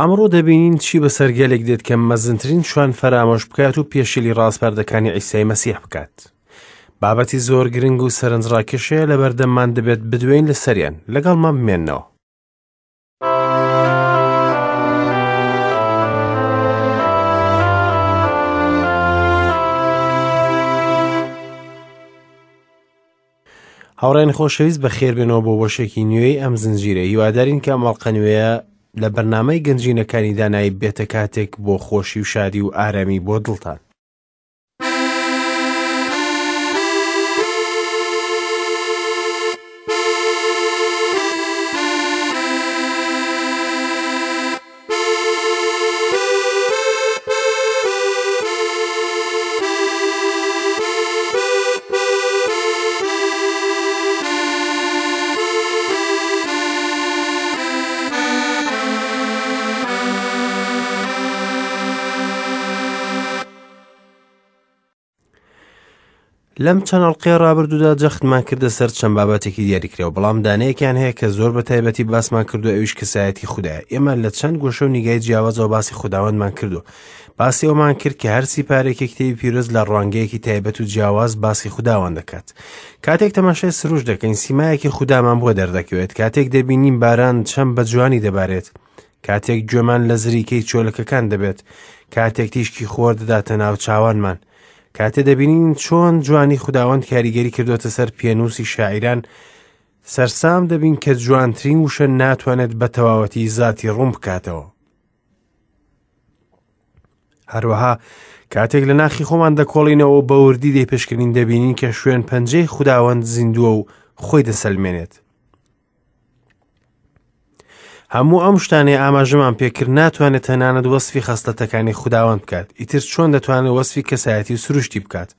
ئەمڕۆ دەبینین چی بەسەر گەلێک دێت کە مەزنترین شوان فەرامۆش بکات و پێشێلی ڕاسپاردەکانی عیسای مەسیح بکات. بابەتی زۆر گرنگ و سەرنجڕاکێشەیە لەبەردەممان دەبێت بدوێین لەسەریان، لەگەڵمان بمێنەوە. هاوڕێن خۆشەویست بەخێربێنەوە بۆ بەشێکی نوێی ئەم زنجیرە هیوادارین کە ئەم ئەڵقە نوێیە لە بەرنامەی گەنجینەکانی دانایی بێتە کاتێک بۆ خۆشی و شادی و ئارامی بۆ دڵتان. لەم چەند ئەڵقەی ڕابردوودا جەختمان کردە سەر چەند بابەتێکی دیاریکراوە بەڵام دانەیەکیان هەیە کە زۆر بە تایبەتی باسمان کردو ئەویش کەسایەتی خودایە ئێمە لە چەند گۆشە و نیگای جیاوازەوە باسی خوداوەندمان کردو باسی ئەومان کرد کە هەرسی پارێکی کتێبی پیرۆز لە ڕوانگەیەکی تایبەت و جیاواز باسی خوداوان دەکات کاتێک تەماشای سروش دەکەین سیمایەکی خودامان بۆ دەردەکەوێت کاتێک دەبینین باران چەند بە جوانی دەبارێت کاتێک گوێمان لە زریکەی چۆلەکەکان دەبێت کاتێک تیشکی خۆر دەداتە ناو چاوانمان کاتێ دەبینین چۆن جوانی خوداوەند کاریگەری کردوتە سەر پێنووسی شاعیران سەرسام دەبین کە جوانترین وشە ناتوانێت بە تەواوەتی زاتی ڕوون بکاتەوە هەروەها کاتێک لە ناخی خۆمان دەکۆڵینەوە بە وردی دەیپشکنین دەبینین کە شوێن پەنجەی خوداوەند زیندووە و خۆی دەسەلمێنێت هەموو ئەم شتانەی ئاماژەمان پێکرد ناتوانێت تەنانەت وەسفی خەسڵەتەکانی خوداوەند بکات ئیتر چۆن دەتوانێت وەسفی کەسایەتی و سروشتی بکات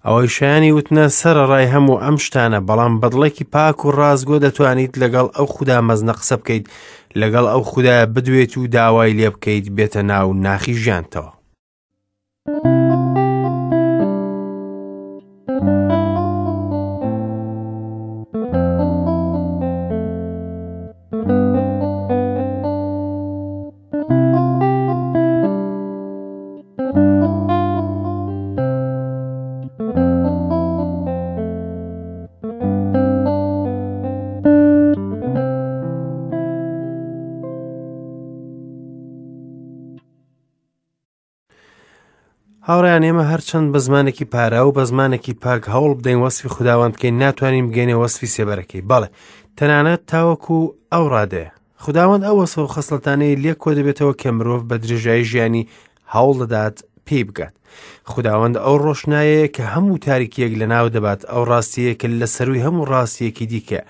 ئەوەی شایانی وتنە سەرەڕای هەموو ئەم شتانە بەڵام بەدڵێکی پاک و ڕاستگۆ دەتوانیت لەگەڵ ئەو خودا مەزنە قسە بکەیت لەگەڵ ئەو خودایە بدوێت و داوای لێ بکەیت بێتە ناو ناخی ژیانتەوە. هاوڕیان ئێمە هەرچەند بە زمانێکی پارا و بە زمانێکی پاک هەوڵ بدەین وەسفی خوداوەند بکەین ناتوانین بگەینە وەسفی سێبەرەکەی بەڵێ تەنانەت تاوەکو ئەو ڕادەیە خوداوەند ئەو وەسف و خەسڵەتانەی لێ کۆ دەبێتەوە کە مرۆڤ بە درێژایی ژیانی هەوڵ دەدات پێی بگات خوداوەند ئەو ڕۆشنایەیە کە هەموو تاریکیەک لەناو دەبات ئەو ڕاستیەیە کە لە سەروی هەموو ڕاستیەکی دیکە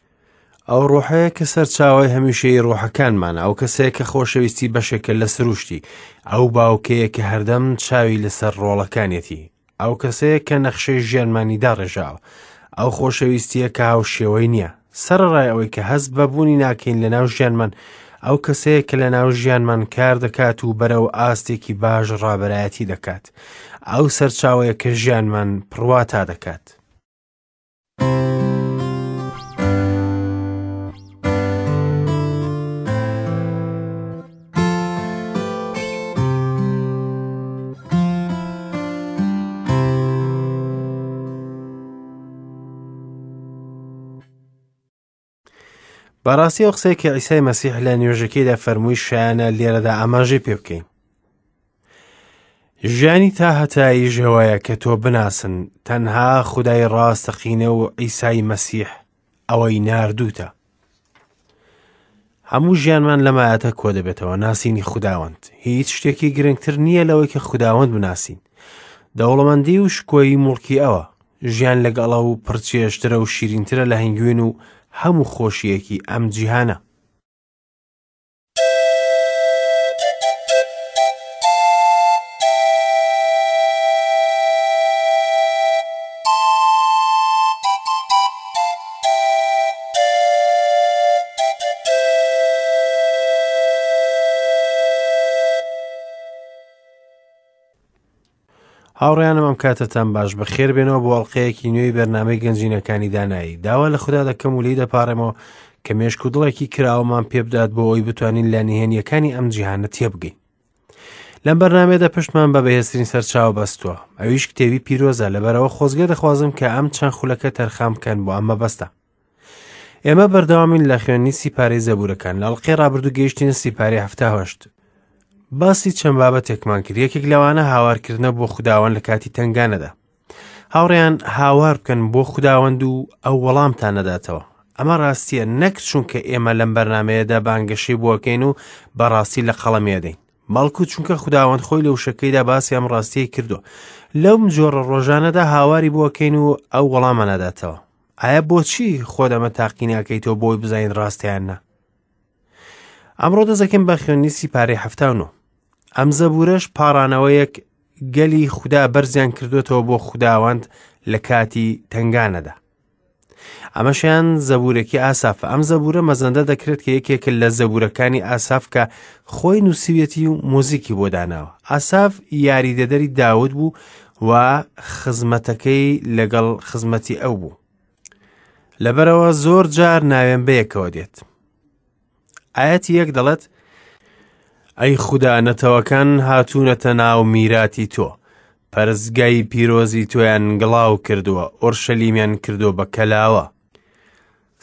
ئەو ڕۆحەیە کە سەرچاوەی هەمیشەی ڕۆحەکانمانە ئەو کەسەیە کە خۆشەویستی بەشێکە لە سروشتی ئەو باوکەیە کە هەردەم چاوی لەسەر ڕۆڵەکانیەتی ئەو کەسەیە کە نەخشەی ژیانمانی داڕێژاوە ئەو خۆشەویستیە کە هاوشێوەی نییە سەرەڕای ئەوەی کە هەست بە بوونی ناکەین لە ناو ژیانمان ئەو کەسەیە کە لە ناو ژیانمان کار دەکات و بەرەو ئاستێکی باش ڕابەرایەتی دەکات ئەو سەرچاوەیە کە ژیانمان پڕواتا دەکات. بەڕاستی ئەو قسەیە کە عیسای مەسیح لە نوێژەکەیدا فەرمووی شایانە لێرەدا ئاماژەی پێ بکەین ژیانی تا هەتایی ژەوەیە کە تۆ بناسن تەنها خودای ڕاستەقینە و عیسای مەسیح ئەوەی ناردووتە هەموو ژیانمان لەم ئایەتە کۆ دەبێتەوە ناسینی خوداوەند هیچ شتێکی گرنگتر نییە لەوەی کە خوداوەند بناسین دەوڵەمەندی و شکۆی موڵکی ئەوە ژیان لەگەڵ ئەو پڕچێژترە و شیرینترە لە هەنگوین و هەموو خۆشیەکی ئەم جیهانە هاوڕێیانم ئەم کاتەتان باش بەخێر بێنەوە بۆ ئەڵلقەیەکی نوێی بەرنامەی گەنجینەکانی دانایی داوا لە خوددا دەکەم و لی دەپارێمەوە کە مێشک و دڵێکی کراوەمان پێبدات بۆ ئەوەی بتوانین لە نهێنیەکانی ئەم جیهانە تێبگەین. لەم بەرنامەیەدا پشتمان بە بەهێزترین سەرچاوە بەستووە، ئەویش کتێبی پیرۆزە، لەبەرئەوە خۆزگە دەخوازم کە ئەم چەند خولەکە تەرخان بکەن بۆ ئەم مەبەستە. ئێمە بەردەوامین لە خوێندنی سیپارەی زەبوورەکان. لە ئەڵقەی ڕابردوو گەیشتینە سیپارەی 78. باسی چەند بابەتێکمان کرد، یەکێک لەوانە هاوارکردنە بۆ خوداوەند لە کاتی تەنگانەدا. هاوڕێیان هاوار بکەن بۆ خوداوەند و ئەو وەڵامتان نەداتەوە. ئەمە ڕاستیە نەک چونکە ئێمە لەم بەرنمەیەدا بانگەشەی بۆکەین و بەڕاستی لە قەڵەمی ئەدەین، بەڵکو چونکە خوداوەند خۆی لە وشەکەیدا باسی ئەم ڕاستیەی کردووە. لەم جۆرە ڕۆژانەدا هاواری بۆکەین و ئەو وەڵامە ناداتەوە. ئایا بۆچی خۆت ئەمە تاقی ناکەیتەوە بۆی بزانین ڕاستە یان نا؟ ئەمڕۆ دەزەکەم بە خوێندنی سیپارەی 79. ئەم زەبوورەش پاڕانەوەیەک گەلی خودا بەرزیان کردوێتەوە بۆ خوداوەند لە کاتی تەنگانەدا. ئەمەشیان زەبوورێکی ئاسافە. ئەم زەبوورە مەزەندە دەکرێت کە یەکێکە لە زەبوورەکانی ئاساف کە خۆی نووسیویەتی و موزیکی بۆ داناوە. ئاساف یاریدەدەری داود بوو و خزمەتەکەی لەگەڵ خزمەتی ئەو بوو. لەبەرەوە زۆر جار ناوێن بەیەکەوە دێت. ئاەتی یەک دەڵێت ئەی خودا نەتەوەکان هاتوونەتە ناو میراتی تۆ پەرستگای پیرۆزی تۆیان گڵاو کردووە ئۆرشەلیمیان کردووە بە کەلاوە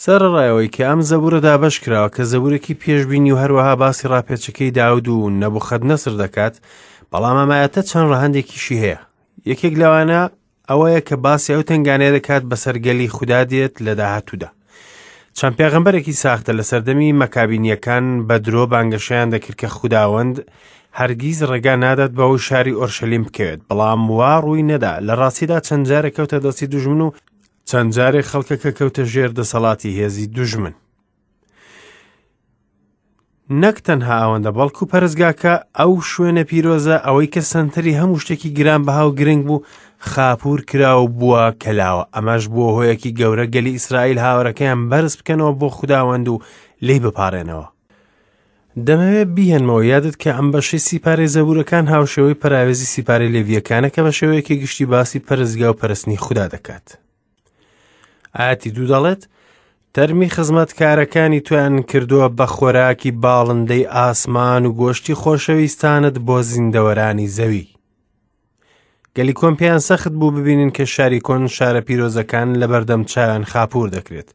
سەرەڕای ئەوەی کە ئەم زەبورە دابەش کراوە کە زەبورێکی پێشبینی و هەروەها باسی ڕاپێچەکەی داود و نەبوخەدنەسر دەکات، بەڵام ئەم ئایەتە چەند ڕەهەندێکیشی هەیە. یەکێک لەوانە ئەوەیە کە باسی ئەو تەنگانەیە دەکات بەسەر گەلی خودا دێت لە داهاتوودا. چەند پێغەمبەرێکی ساختە لە سەردەمی مەکابینیەکان بە درۆ بانگەشەیان دەکرد کە خوداوەند هەرگیز ڕێگا نادات بەوەی شاری ئۆرشەلیم بکەوێت، بەڵام وا ڕووی نەدا. لە ڕاستیدا چەند جارێک کەوتە دەستی دوژمن و چەند جارێک خەڵکەکە کەوتە ژێر دەسەڵاتی هێزی دوژمن. نەک تەنها ئەوەندە بەڵکو پەرستگاکە ئەو شوێنە پیرۆزە ئەوەی کە سەنتەری هەموو شتێکی گران بەها و گرنگ بوو خاپور کرا و بووە کەلاوە ئەمەش بووە هۆیەکی گەورە گەلی ئیسرائیل هاوارەکەیان بەرز بکەنەوە بۆخ خوداوەند و لێی بپارێنەوە. دەمەوێت بیهێنمەوە یادت کە ئەم بەشەی سیپارەی زەبوورەکان هاوشێوەی پەراوێزی سیپارەی لێڤییەکانە کە بە شێوەیەکی گشتی باسی پەرستگا و پەرستنی خودا دەکات. ئاەتی دوو دەڵێت تەرمی خزمەتکارەکانی تویان کردووە بە خۆراکی باڵندەی ئاسمان و گۆشتی خۆشەویستانت بۆ زیندەوەرانی زەوی. گەلی کۆن پێیان سەخت بوو ببینن کە شاری کۆن شارە پیرۆزەکان لە بەردەم چاویان خاپور دەکرێت.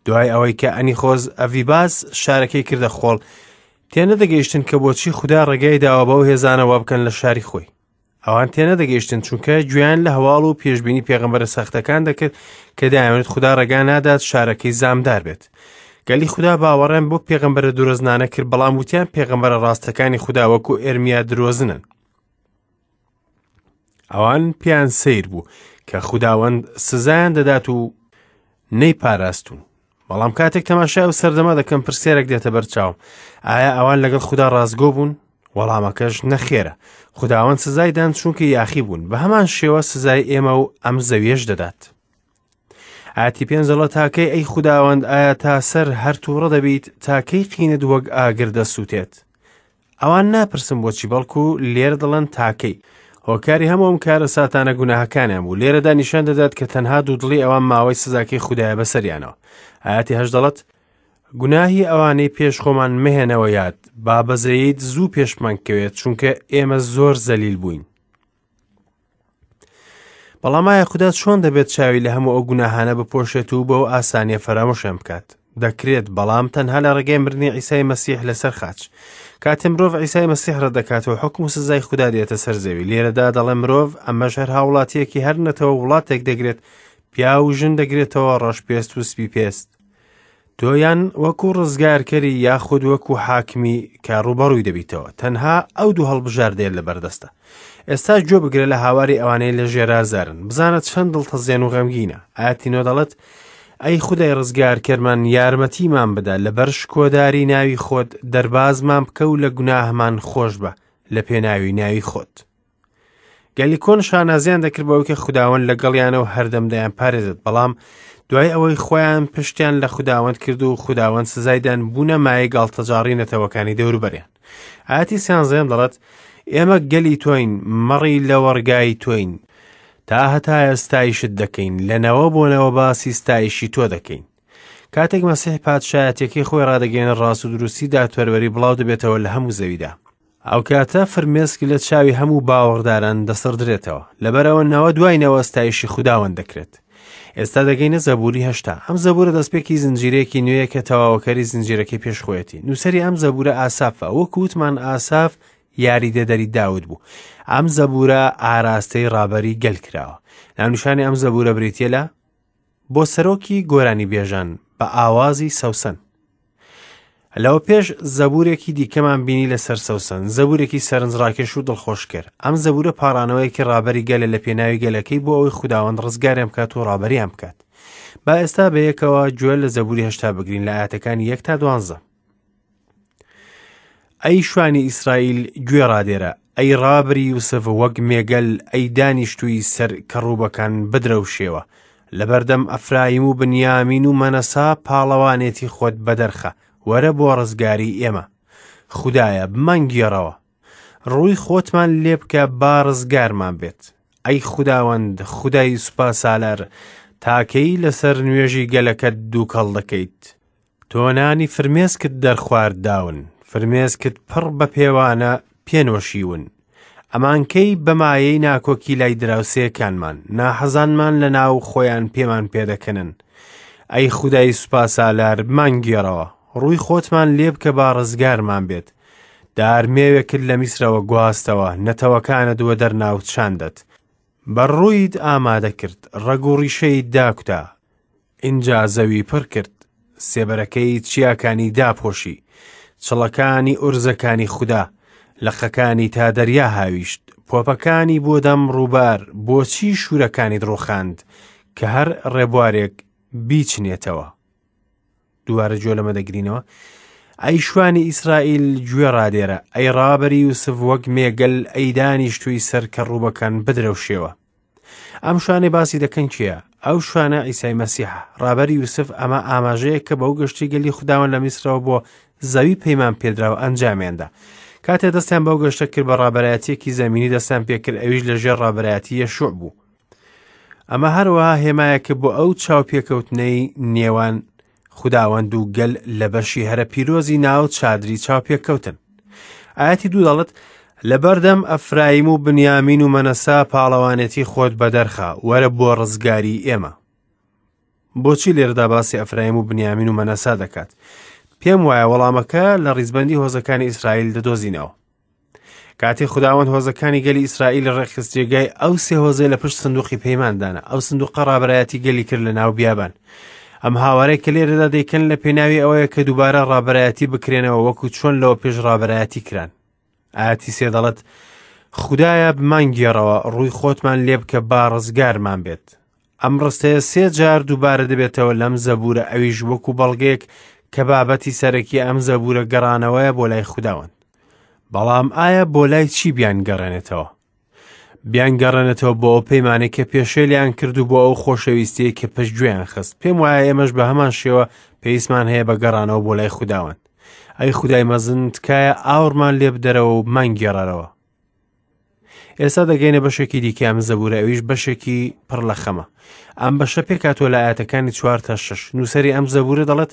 دوای ئەوەی کە ئەنیخۆز ئەڤیباس شارەکەی کردە خۆڵ، تێنەدەگەیشتن کە بۆچی خودا ڕێگای داوە بەو هێزانە وا بکەن لە شاری خۆی. ئەوان تێنەدەگەیشتن چونکە گوێیان لە هەواڵ و پێشبینی پێغەمبەرە سەختەکان دەکرد کە دەیانوت خودا ڕێگا نادات شارەکەی زامدار بێت. گەلی خودا باوەڕیان بۆ پێغەمبەرە درۆزنانە کرد، بەڵام وتیان پێغەمبەرە ڕاستەکانی خودا وەکو ئێرمیا درۆزنن. ئەوان پێیان سەیر بوو کە خوداوەند سزایان دەدات و نەیپاراستون. بەڵام کاتێک تەماشای ئەو سەردەمە دەکەم پرسیارێک دێتە بەرچاوم، ئایا ئەوان لەگەڵ خودا ڕاستگۆ بوون؟ وەڵامەکەش نەخێرە. خوداوەند سزای دان چونکە یاخی بوون، بە هەمان شێوە سزای ئێمە و ئەم زەویەش دەدات. ئاتی پێنج دەڵێت تاکەی ئەی خوداوەند ئایا تا سەر هەر تووڕە دەبیت تاکەی قینت وەک ئاگر دەسووتێت؟ ئەوان ناپرسن بۆچی بەڵکو لێرە دەڵێن تاکەی. هۆکاری هەموو ئەم کارەساتانە گوناهەکانیان بوو. لێرەدا نیشان دەدات کە تەنها دوودڵی ئەوان ماوەی سزاکەی خودایە بەسەریانەوە. ئاەتی هەشت دەڵێت گوناهی ئەوانەی پێش خۆمان مەهێنەوە یاد، با بەزەییت زوو پێشمان کەوێت، چونکە ئێمە زۆر زەلیل بووین. بەڵام ئایا خودا چۆن دەبێت چاوی لە هەموو ئەو گوناهانە بپۆشێت و بەو ئاسانیە فەرامۆشیان بکات؟ دەکرێت، بەڵام تەنها لە ڕێگەی مردنی عیسای مەسیح لەسەر خاچ. کاتێ مرۆڤ عیسای مەسیح ڕەت دەکاتەوە، حوکم و سزای خودا دێتە سەر زەوی. لێرەدا دەڵێ مرۆڤ، ئەمەش هەر هاوڵاتیەکی هەر نەتەوە وڵاتێک دەگرێت، پیاو و ژن دەگرێتەوە، ڕەش پێست و سپی پێست. تۆ یان وەکو ڕزگارکەری یاخود وەکو حاکمی کە ڕووبەڕووی دەبیتەوە تەنها ئەو دوو هەڵبژاردەیە لە بەردەستە ئێستا گوێ بگرە لە هاواری ئەوانەی لە ژێرازارن بزانە چەند دڵتەزێن و غەمگینە ئاەتی نۆ دەڵێت ئەی خودای ڕزگارکەرمان یارمەتیمان بدە لەبەر شکۆداری ناوی خۆت دەربازمان بکە و لە گوناهمان خۆش بە لە پێناوی ناوی خۆت گەلی کۆن شانازیان دەکرد بەوەی کە خوداوەند لەگەڵیانە و هەردەم دەیان پارێزێت بەڵام دوای ئەوەی خۆیان پشتیان لە خوداوەند کرد و خوداوەند سزایدان بوونە مایەی گاڵتەجاڕی نەتەوەکانی دەوروبەریان ئاەتی سیانزەیەم دەڵێت ئێمە گەلی تۆین مەڕی لەوەڕگای تۆین تا هەتایە ستایشت دەکەین لە نەوە بۆ نەوە باسی ستایشی تۆ دەکەین. کاتێک مەسیح پادشایەتیەکەی خۆی ڕادەگەیەنێت ڕاست و دروستی دادپەروەری بڵاو دەبێتەوە لە هەموو زەویدا. ئەو کاتە فرمێسک لە چاوی هەموو باوەڕداران دەسڕدرێتەوە. لەبەرئەوە نەوە دوای نەوە ستایشی خوداوەند دەکرێت. ئێستا دەگەینە زەبوری 80. ئەم زەبورە دەستپێکی زنجیرەیەکی نوێیە کە تەواوەکەری زنجیرەکەی پێش خۆیەتی. نووسەری ئەم زەبورە ئاسافە. وەکو وتمان ئاساف یاریدەدەری داود بوو. ئەم زەبورە ئاراستەی ڕابەری گەل کراوە. ناونیشانی ئەم زەبورە بریتییە لە بۆ سەرۆکی گۆرانیبێژان بە ئاوازی سەوسەن. لەوە پێش زەبورێکی دیکەمان بینی لەسەر سەوسەن، زەبورێکی سەرنجڕاکێش و دڵخۆشکەر. ئەم زەبورە پاڕانەوەیەکی ڕابەری گەلە لە پێناوی گەلەکەی بۆ ئەوەی خوداوەند ڕزگاریان بکات و ڕابەریان بکات. با ئێستا بەیەکەوە گوێ لە زەبوری 80 بگرین لە ئایەتەکانی 1 تا 12. ئەی شوانی ئیسرائیل گوێ ڕادێرە، ئەی ڕابری یوسف وەک مێگەل، ئەی دانیشتووی سەر کەڕوبەکان بدرەوشێوە. لەبەردەم ئەفرایم و بنیامین و مەنەسا پاڵەوانێتی خۆت بەدەرخە، وەرە بۆ ڕزگاری ئێمە. خودایە بمانگێڕەوە. ڕووی خۆتمان لێ بکە با ڕزگارمان بێت. ئەی خوداوەند، خودای سوپاسالار، تاکەی لەسەر نوێژی گەلەکەت دووکەڵ دەکەیت؟ تۆ نانی فرمێسکت دەرخوارد داون، فرمێسکت پڕ بە پێوانە پێ نۆشیون. ئەمانکەی بە مایەی ناکۆکی لای دراوسێکانمان، ناحەزانمان لە ناو خۆیان پێمان پێدەکەنن. ئەی خودای سوپاسالار بمانگێڕەوە، ڕووی خۆتمان لێ بکە با ڕزگارمان بێت. دار مێوێکت لە میسرەوە گواستەوە، نەتەوەکانت وەدەرنا و چاندت. بەر ڕوویت ئامادە کرد، ڕەگ و ڕیشەیت داکوتا، ئینجا زەوی پڕ کرد، سێبەرەکەی چیاکانی داپۆشی، چڵەکانی ئورزەکانی خودا، لقەکانی تا دەریا هاویشت، پۆپەکانی بۆ دەم ڕووبار، بۆچی شوورەکانیت ڕووخاند، کە هەر ڕێبوارێک بیچنێتەوە؟ دووبارە گوێ لەمە دەگرینەوە. ئەی شوانی ئیسرائیل گوێ ڕادێرە، ئەی ڕابەری یوسف وەک مێگەل، ئەی دانیشتووی سەر کەڕووبەکان بدرەوشێوە. ئەم شوانەی باسی دەکەن کێیە؟ ئەو شوانە عیسای مەسیحە. ڕابەری یوسف ئەمە ئاماژەیە کە بەو گەشتی گەلی خوداوەند لە میسرەوە بۆ زەوی پەیمان پێدراو ئەنجامیاندا. کاتێ دەستیان بەو گەشتە کرد بە ڕابەرایەتیەکی زەمینی دەستیان پێکرد ئەویش لە ژێر ڕابەرایەتی یەشوع بوو. ئەمە هەروەها هێمایەکە بۆ ئەو چاوپێکەوتنەی نێوان خوداوەند و گەل لە بەشی هەرە پیرۆزی ناو چادری چاوپێکەوتن. ئاەتی دوو دەڵێت لەبەردەم ئەفرایم و بنیامین و مەنەسا پاڵەوانێتی خۆت بەدەرخە، وەرە بۆ ڕزگاری ئێمە. بۆچی لێرەدا باسی ئەفرایم و بنیامین و مەنەسا دەکات؟ پێم وایە وەڵامەکە لە ڕیزبەندی هۆزەکانی ئیسرائیل دەدۆزینەوە. کاتێ خوداوەند هۆزەکانی گەلی ئیسرائیل ڕێکخست جێگای ئەو سێ هۆزەی لە پشت سندوقی پەیماندانە ئەو سندوقە ڕابەرایەتی گەلی کرد لە ناو بیابان ئەم هاوارەی کە لێرەدا دەیکەن لە پێناوی ئەوەیە کە دووبارە ڕابەرایەتی بکرێنەوە وەکو چۆن لەوە پێش ڕابەرایەتی کران ئاەتی سێ دەڵێت خودایە بمانگێڕەوە ڕووی خۆتمان لێ بکە با ڕزگارمان بێت ئەم ڕستەیە سێ جار دووبارە دەبێتەوە لەم زەبوورە ئەویش وەکو بەڵگەیەک کە بابەتی سەرەکی ئەم زەبوورە گەڕانەوەیە بۆ لای خوداوەند بەڵام ئایا بۆ لای چی بیانگەڕێنێتەوە؟ بیانگەڕێنێتەوە بۆ ئەو پەیمانەی کە پێشێلیان کرد و بۆ ئەو خۆشەویستیەی کە پشتگوێیان خست. پێم وایە ئێمەش بە هەمان شێوە پێویستمان هەیە بە گەڕانەوە بۆ لای خوداوەند. ئەی خودای مەزن تکایە ئاوڕمان لێ بدەرەوە و بمانگێڕەرەوە. ئێستا دەگەینە بەشێکی دیکە ئەم زەبورە ئەویش بەشێکی پڕ لە خەمە ئەم بەشە پێکاتوە لە ئاەتەکانی چوار تا شەش نووسری ئەم زەبورە دەڵێت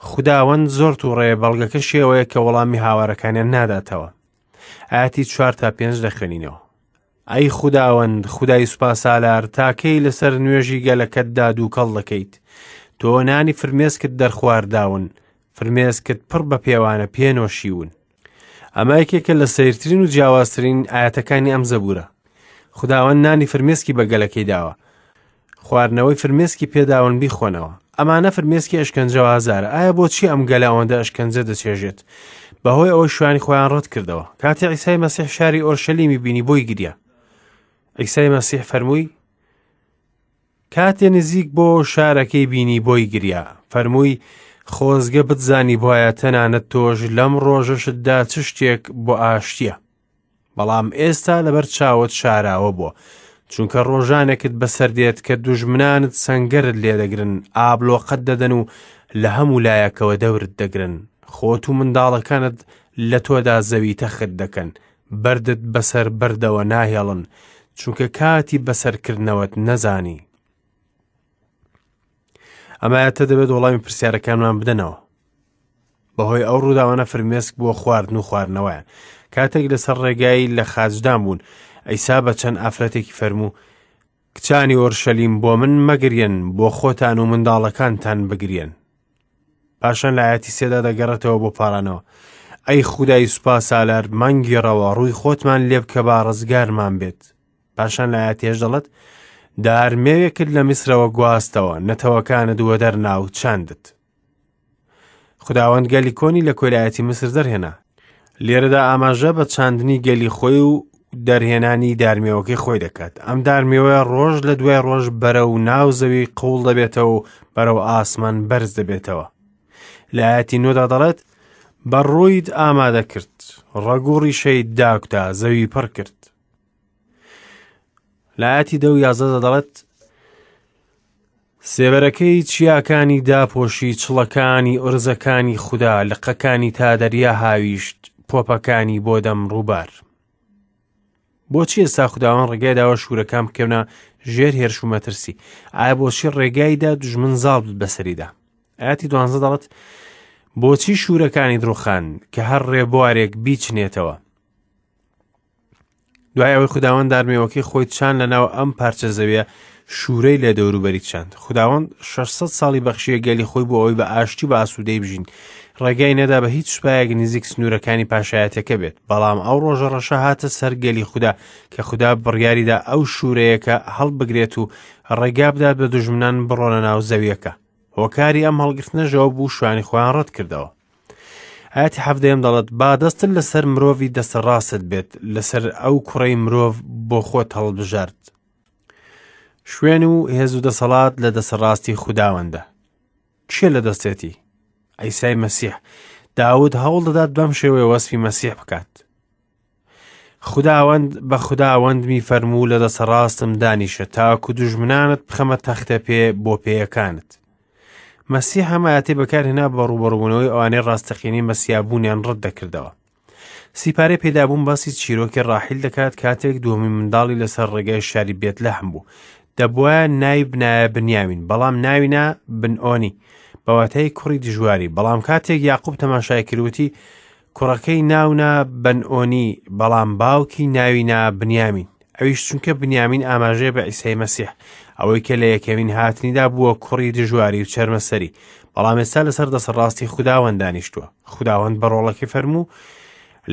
خوداوەند زۆر تووڕەیە بەڵگەکە شێوەیە کە وەڵامی هاوارەکانیان ناداتەوە ئاەتی چوار تا پێنج دەخوێنینەوە ئەی خوداوەند خودای سوپاسالار تاکەی لەسەر نوێژی گەلەکەتدا دووکەڵ دەکەیت تۆ نانی فرمێسکت دەرخوارداون فرمێسکت پڕ بە پێوانە پێنۆشیون ئەمە یەکێکە لە سەیرترین و جیاوازترین ئاەتەکانی ئەم زەبورە خداوەند نانی فرمێسکی بە گەلەکەی داوە خواردنەوەی فرمێسکی پێداون بیخۆنەوە ئەمانە فرمێسکی ئەشکەنجە و ئازارە ئایا بۆچی ئەم گەلە ئەوەندە ئەشکەنجە دەچێژێت بەهۆی ئەوەی شوانی خۆیان ڕەت کردەوە کاتێ عیسای مەسیح شاری ئۆرشەلیمی بینی بۆی گریا عیسای مەسیح فەرمووی کاتێ نزیک بۆ شارەکەی بینی بۆی گریا، فەرمووی، خۆزگە بتزانیبوایە تەنانەت تۆش لەم ڕۆژەشتدا چ شتێک بۆ ئاشتییە. بەڵام ئێستا لەبەر چاوت شاراوە بووە، چونکە ڕۆژانێکت بەسەر دێت کە دوژمنانت سەنگەرت لێدەگرن، ئابلۆقەت دەدەن و لە هەموو لایەکەوە دەورت دەگرن. خۆت و منداڵەکانت لە تۆدا زەوی تەخت دەکەن، بەردت بەسەر بەردەوە ناهێڵن، چونکە کاتی بەسەرکردنەوەت نەزانی. ئەم ئایەتە دەبێت وەڵامی پرسیارەکانمان بدەنەوە. بەهۆی ئەو ڕووداوانە فرمێسک بووە خواردن و خواردنەوەیان. کاتێک لەسەر ڕێگای لە خاچدان بوون، عیسا بە چەند ئافرەتێکی فەرموو، کچانی ئۆرشەلیم بۆ من مەگریەن، بۆ خۆتان و منداڵەکانتان بگریەن. پاشان لە ئاەتی سێدا دەگەڕێتەوە بۆ پارانەوە. ئەی خودای سوپا سالار مانگیڕەوە ڕووی خۆتمان لێ بکە با ڕزگارمان بێت. پاشان لە ئاەتی هێش دەڵێت دار مێوێکت لە میسرەوە گواستەوە نەتەوەکانت وەدەرنا و چاندت. خداوەند گەلی کۆنی لە کۆیلایەتی میسر دەرهێنا. لێرەدا ئاماژە بە چاندنی گەلی خۆی و دەرهێنانی دارمێوەکەی خۆی دەکات. ئەم دارمێوەیە ڕۆژ لە دوای ڕۆژ بەرەو ناو زەوی قوڵ دەبێتەوە و بەرەو ئاسمان بەرز دەبێتەوە. لە ئاەتی نۆدا دەڵێت بە ڕوویت ئامادە کرد، ڕەگ و ڕیشەی داکوتا، زەوی پڕ کرد. لە ئاەتی دە و یازدەدا دەڵێت سێبەرەکەی چیاکانی داپۆشی چڵەکانی ئورزەکانی خودا لقەکانی تا دەریا هاویشت پۆپەکانی بۆ دەم ڕووبار. بۆچی ئێستا خوداوەند ڕێگای داوە شوورەکان بکەونە ژێر هێرش و مەترسی؟ ئایا بۆچی ڕێگای دا دوژمن زاڵ بێت بەسەریدا؟ ئاەتی دوانزە دەڵێت بۆچی شوورەکانی دروخان کە هەر ڕێبوارێک بیچنێتەوە؟ دوای ئەوەی خوداوەند دارمێوەکەی خۆی چان لەناو ئەم پارچە زەویە شوورەی لە دەوروبەری چاند خوداوەند 600 ساڵی بەخشیە گەلی خۆی بۆ ئەوەی بە ئاشتی بە ئاسوودەی بژین ڕێگای نەدا بە هیچ سوپایەک نزیک سنوورەکانی پاشایەتەکە بێت بەڵام ئەو ڕۆژە ڕەشە هاتە سەر گەلی خودا کە خودا بڕیاریدا ئەو شوورەیەکە هەڵبگرێت و ڕێگا بدات بە دوژمنان بڕۆنە ناو زەویەکە هۆکاری ئەم هەڵگرتنەشەوە بوو شوانی خۆیان ڕەت کردەوە ئاەتی حەفدەیەم دەڵێت با دەستت لەسەر مرۆڤی دەستە ڕاستت بێت لەسەر ئەو کوڕەی مرۆڤ بۆ خۆت هەڵبژارد شوێن و هێز و دەسەڵات لە دەستە ڕاستی خوداوەندە کێ لە دەستێتی ئەیسای مەسیح داود هەوڵ دەدات بەم شێوەیە وەسفی مەسیح بکات خوداوەند بە خوداوەندمی فەرموو لە دەستە ڕاستم دانیشە تاکو دوژمنانت بخەمە تەختە پێ بۆ پێیەکانت. مەسیح ئەم ئاەتی بەکارهێنا بە ڕووبەڕووبوونەوەی ئەوانەی ڕاستەقینەی مەسیابوونیان ڕەت دەکردەوە. سیپارەی پێدابوون باسی چیرۆکی ڕاحیل دەکات کاتێک دووەمین منداڵی لەسەر ڕێگای شاری بێتلەحم بوو. دەبوایە ناوی بنایە بنیامین بەڵام ناوی نا بنئۆنی بە واتای کوڕی دژواری بەڵام کاتێک یاقوب تەماشای کردوتی کوڕەکەی ناونا بەنئۆنی، بەڵام باوکی ناوی نا بنیامین. ئەویش چونکە بنیامین ئاماژەیە بە عیسای مەسیح، ئەوەی کە لە یەکەمین هاتنیدا بووە کوڕی دژواری و چەرمەسەری، بەڵام ئێستا لەسەر دەستەڕاستی خوداوەند دانیشتووە. خوداوەند بە ڕۆڵەکەی فەرموو،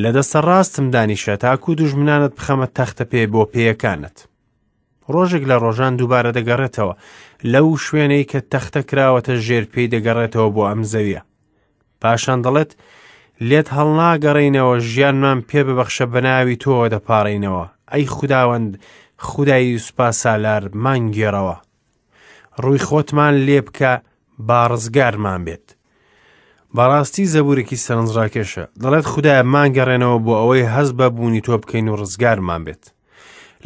لە دەستەڕاستم دانیشە تاکو دوژمنانت بخەمە تەختە پێ بۆ پێیەکانت. ڕۆژێک لە ڕۆژان دووبارە دەگەڕێتەوە لەو شوێنەی کە تەختە کراوەتە ژێر پێی دەگەڕێتەوە بۆ ئەم زەویە. پاشان دەڵێت لێت هەڵناگەڕێینەوە ژیانمان پێ ببەخشە بە ناوی تۆوە دەپاڕێینەوە ئەی خوداوەند خودای سوپا سالار مانگێڕەوە ڕووی خۆتمان لێ بکە با ڕزگارمان بێت بەڕاستی زەبورێکی سەرنجڕاکێشە دەڵێت خدایە مانگەڕێنەوە بۆ ئەوەی هەست بە بوونی تۆ بکەین و ڕزگارمان بێت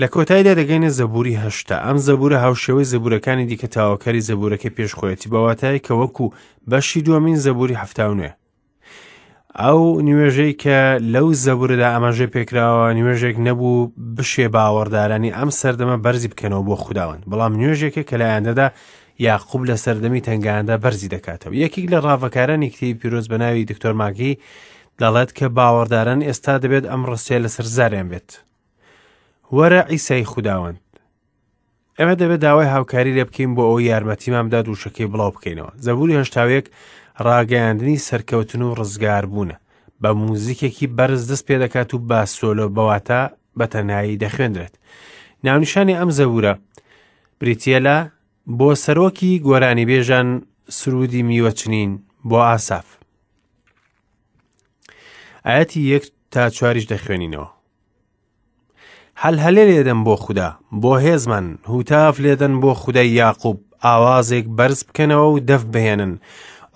لە کۆتاییدا دەگەینە زەبوری 80. ئەم زەبورە هاوشێوەی زەبورەکانی دیکە تاوەکەری زەبورەکەی پێش خۆیەتی بە واتای کە وەکو بەشی دووەمین زەبوری 79. ئەو نوێژەی کە لەو زەبورەدا ئاماژەی پێکراوە نوێژێک نەبوو بشێ باوەڕدارانی ئەم سەردەمە بەرزی بکەنەوە بۆ خوداوەند بەڵام نوێژێکە کە لایەندەدا یاقوب لە سەردەمی تەنگاندا بەرزی دەکاتەوە یەکێک لە ڕاڤەکارانی کتێبی پیرۆز بە ناوی دکتۆر ماگی دەڵێت کە باوەڕداران ئێستا دەبێت ئەم ڕستەیە لەسەر زاریان بێت وەرە عیسای خوداوەند ئێمە دەبێت داوای هاوکاری لێ بکەین بۆ ئەوەی یارمەتیمان بدات وشەکەی بڵاو بکەینەوە زەبوری هەشتاوێک ڕاگەیاندنی سەرکەوتن و ڕزگاربوونە بە موزیکێکی بەرز دەست پێ دەکات و بە سۆلۆ بەواتە بە تەنایی دەخوێندرێت ناونیشانی ئەم زەبورە بریتە لە بۆ سەرۆکی گۆرانیبێژان سرودی میوەچنین بۆ ئاساف ئاەتی یەک تا چواریش دەخوێنینەوە هەلهەلێ لێدەن بۆ خودا، بۆ هێزمان، هوتاف لێدەن بۆ خودای یاقوب، ئاوازێک بەرز بکەنەوە و دەف بهێنن،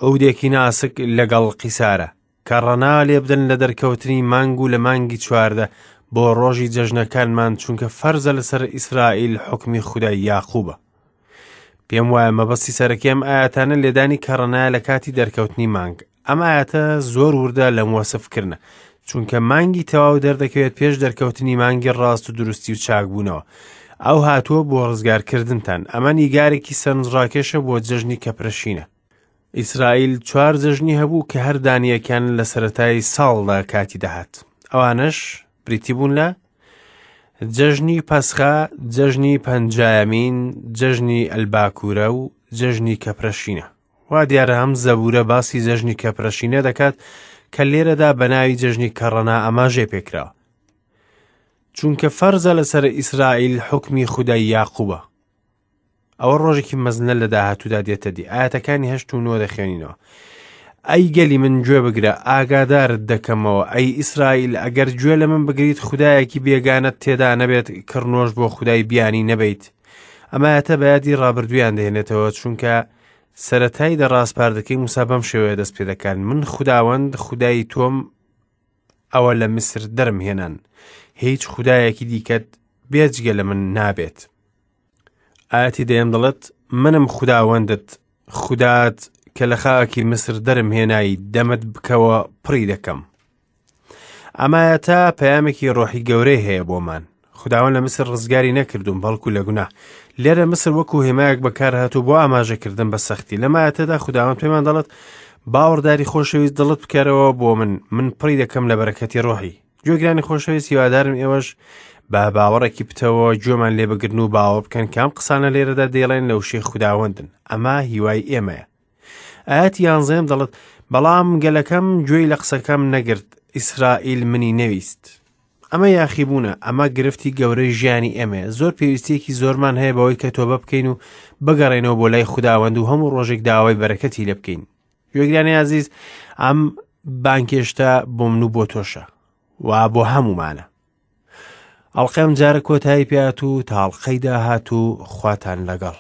عودێکی ناسک لەگەڵ قیسارە. کەڕەنا لێبدەن لە دەرکەوتنی مانگ و لە مانگی 14 بۆ ڕۆژی جەژنەکانمان، چونکە فەرزە لەسەر ئیسرائیل حوکمی خودای یاقوبە. پێم وایە مەبەستی سەرەکی ئەم ئایەتانە لێدانی کەڕەنایە لە کاتی دەرکەوتنی مانگ. ئەم ئایەتە زۆر وردە لەم وەسفکردنە، چونکە مانگی تەواو دەردەکەوێت پێش دەرکەوتنی مانگی ڕاست و دروستی و چاکبوونەوە. ئەو هاتووە بۆ ڕزگارکردنتان. ئەمە نیگارێکی سەرنجڕاکێشە بۆ جەژنی کەپرەشینە. ئیسرائیل چوار جەژنی هەبوو کە هەر دانییەکیان لە سەرەتای ساڵدا کاتی دەهات. ئەوانەش بریتی بوون لە جەژنی پەسخە، جەژنی پەنجایەمین، جەژنی ئەلباکوورە و جەژنی کەپرەشینە. وا دیارە ئەم زەبوورە باسی جەژنی کەپرەشینە دەکات کە لێرەدا بە ناوی جەژنی کەڕەنا ئاماژەی پێکراوە. چونکە فەرزە لەسەر ئیسرائیل حوکمی خودای یاقوبە. ئەوە ڕۆژێکی مەزنە لە داهاتوودا دێتە دی. ئاەتەکانی هەشت و نۆ دەخوێنینەوە. ئەی گەلی من گوێ بگرە، ئاگادارت دەکەمەوە، ئەی ئیسرائیل ئەگەر گوێ لە من بگریت خودایەکی بێگانەت تێدا نەبێت، کڕنۆش بۆ خودای بیانی نەبەیت. ئەم ئایەتە بە یادی ڕابردوویان دەهێنێتەوە، چونکە سەرەتای دە ڕاسپاردەکەی موسا بەم شێوەیە دەست پێ دەکات، من خوداوەند خودای تۆم، ئەوە لە میسر دەرم هێنان، هیچ خودایەکی دیکەت بێجگە لە من نابێت. ئاەتی دەیەم دەڵێت، منم خوداوەندت، خودات کە لە خاکی میسر دەرم هێنای، دەمت بکەوە پڕی دەکەم. ئەمایەتە پەیامێکی ڕۆحی گەورەی هەیە بۆمان. خداوەند لە میسر ڕزگاری نەکردوون بەڵکو لە گوناه. لێرە میسر وەکو هێمایەک بەکارهاتوو بۆ ئاماژەکردن بە سەختی. لەم ئایەتەدا خداوەند پێمان دەڵێت باوەڕداری خۆشەویست دڵت بکەرەوە بۆ من، من پڕی دەکەم لە بەرەکەتی ڕۆحی. گوێگرانی خۆشەویست هیوادارم ئێوەش بە باوەڕێکی پتەوە گوێمان لێ بگرن و باوەڕ بکەن کام قسانە لێرەدا دەیڵێن لە وشەی خوداوەندن. ئەمە هیوای ئێمەیە. ئاەتی یانزەیەم دەڵێت بەڵام گەلەکەم گوێی لە قسەکەم نەگرت، ئیسرائیل منی نەویست. ئەمە یاخیبوونە، ئەمە گرفتی گەورەی ژیانی ئێمەیە. زۆر پێویستیەکی زۆرمان هەیە بەوەی کە تۆبە بکەین و بگەڕێنەوە بۆ لای خوداوەند و هەموو ڕۆژێک داوای بەرەکەتی لێ بکەین. گوێگرانی ئازیز، ئەم بانکێشتە بۆ من و بۆ تۆشە و بۆ هەمومانە. ئەڵقەم جارە کۆتایی پێات و تاڵقەی داهات و خواتان لەگەڵ.